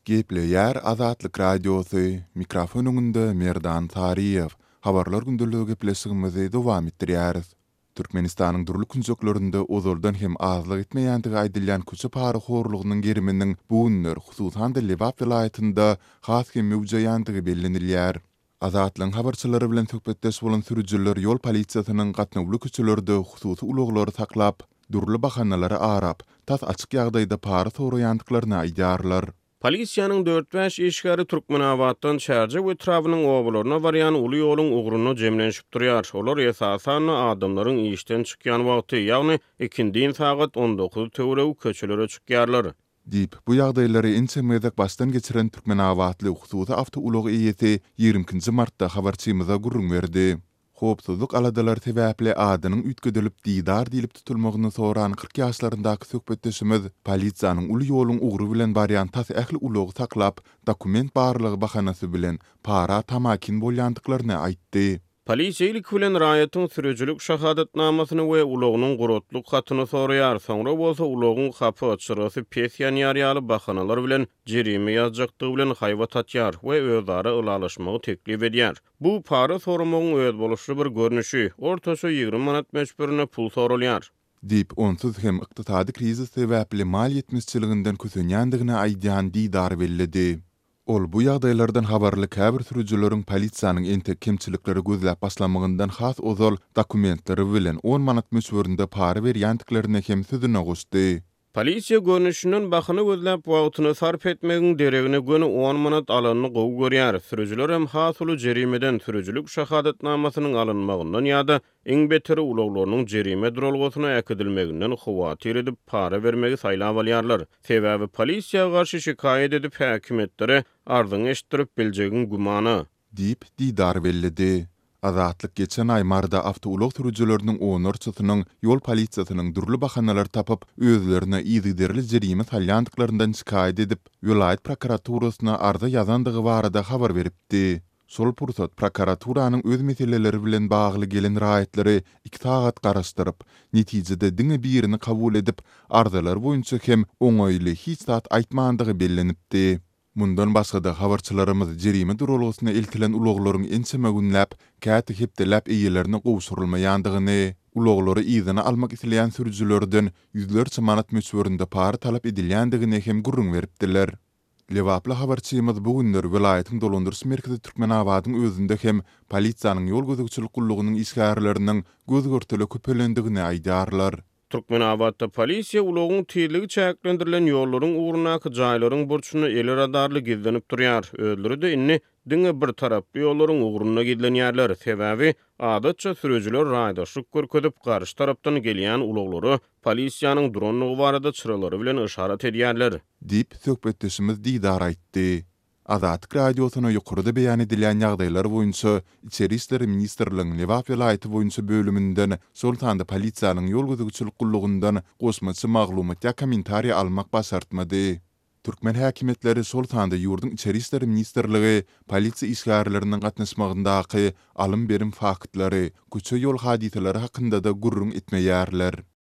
Gepleýär Azatlyk Radiosy, mikrofon öňünde Merdan Saryýew. Habarlar gündeligi gepleşigimizi dowam etdirýäris. Türkmenistanyň dürli künjeklerinde ozaldan hem azlyk etmeýändigi aýdylýan köçe parahorlugynyň geriminiň bu günler, hususan-da Lebap welaýatynda has hem möwjeýändigi bellenilýär. Azatlygyň habarçylary bilen söhbetdeş bolan sürüjiler ýol polisiýasynyň gatnawly köçelerde hususy ulaglary saklap, dürli bahanalary arap, tas açyk ýagdaýda para soraýandyklaryny aýdýarlar. Polisiýanyň dört-bäş işgäri Türkmenabatdan Çärjew etrabynyň obalaryna barýan uly ýoluň ugrunda jemlenişip durýar. Olar, esasan-da, adamlaryň işden çykýan wagty, ýagny ikindin sagat on dokuz töweregi köçelere çykýarlar. Diýip, bu ýagdaýlary ençeme gezek başdan geçiren türkmenabatly hususy awtoulag eýesi ýigrimi ikinji martda habarçymyza gürrüň berdi. Howpsuzlyk aladalary sebäpli adynyň üýtgedilip Didar diýlip tutulmagyny soran 40 ýaşlaryndaky söhbetdeşimiz polisiýanyň uly ýoluň ugry bilen barýan tas ähli ulagy saklap, dokument barlagy bahanasy bilen para tamakin bolýandyklaryny aýtdy. Polisiýa ilki bilen raýatyň sürüjilik şahadatnamasyny we ulagynyň guratlyk hatyny soraýar, soňra bolsa ulagyň hapa, çyrasy pes ýanýar ýaly bahanalar bilen jerime ýazjakdygy bilen haýbat atýar we özara ylalaşmagy teklip edýär. Bu para soramagyň özboluşly bir görnüşi, ortaça 20 manat möçberinde pul soralýar. Diýip, onsuz hem ykdysady krizis sebäpli mal ýetmezçiliginden kösenýändigini aýdýan Didar belledi. Ol bu ýagdaýlardan habarly käbir sürüjileriň polisiýanyň entek kemçilikleri gözläp başlamagyndan has ozal dokumentleri bilen on manat möçberinde para berýändiklerini hem sözüne goşdy. Polisiýa görnüşinden bahana gözläp wagtyny sarp etmegiň deregine göni on manat alanyny gowy görýär. Sürüjilerem has uly jerimeden, sürüjilik şahadatnamasynyň alynmagyndan ýa-da Iň beteri ulaglarynyň jerime duralgasyna äkidilmeginden howatyr edip, para bermegi saýlap alýarlar. Sebäbi polisiýa garşy şikaýat edip, häkimiýetlere arzyňy eşitdirip biljegiň gümana. Diýip, Didar belledi. Azatlyk geçen aý Maryda awtoulag sürüjileriniň onlarçasynyň ýol polisiýasynyň dürli bahanalar tapyp, özlerine yzygiderli jerime salýandyklaryndan şikaýat edip, welaýat prokuraturasyna arza ýazandygy barada habar beripdi. Şol pursat prokuraturanyň öz meseleleri bilen bagly gelen raýatlary iki sagat garaşdyryp, netijede diňe birini kabul edip, arzalary boýunça hem oňaýly hiç zat aýtmandygy bellenipdi. Mundan başga-da, habarçylarymyz jerime duralgasyna eltilen ulaglaryň ençeme günläp, käte hepdeläp eýelerine gowşurylmaýandygyny, ulaglary yzyna almak isleýän sürüjilerden ýüzlerçe manat möçberinde para talap edilýändigini hem gürrüň beripdiler. Lebaply habarçymyz bu günler welaýatyň dolandyryş merkezi Türkmenabadyň özünde hem polisiýanyň ýol gözegçilik gullugynyň işgärleriniň göz-görtele köpelendigini aýdýarlar. Türkmenabatda polisiýa ulagyň tizligi çäklendirilen ýollaryň ugrundaky jaýlaryň burçunda eli radarly gizlenip durýar. Özleri-de indi diňe bir taraply ýollaryň ugrunda gizlenýärler. Sebäbi, adatça sürüjiler raýdaşlyk görkezip, garşy tarapdan gelýän ulaglara polisiýanyň durandygy barada çyralary bilen yşarat edýärler. Diýip, söhbetdeşimiz Didar aýtdy. Azatlyk Radiosyna ýokarda beýan edilýän ýagdaýlar boýunça Içeri işler ministrligiň Lebap welaýaty boýunça bölüminden, şol sanda polisiýanyň ýol gözegçilik gullugyndan goşmaça maglumat ýa kommentariý almak başartmady. Türkmen häkimiýetleri, şol sanda ýurduň Içeri işler ministrligi polisiýa işgärleriniň gatnaşmagyndaky alym-berim faktlary, köçe-ýol hadysalary hakynda-da gürrüň etmeýärler.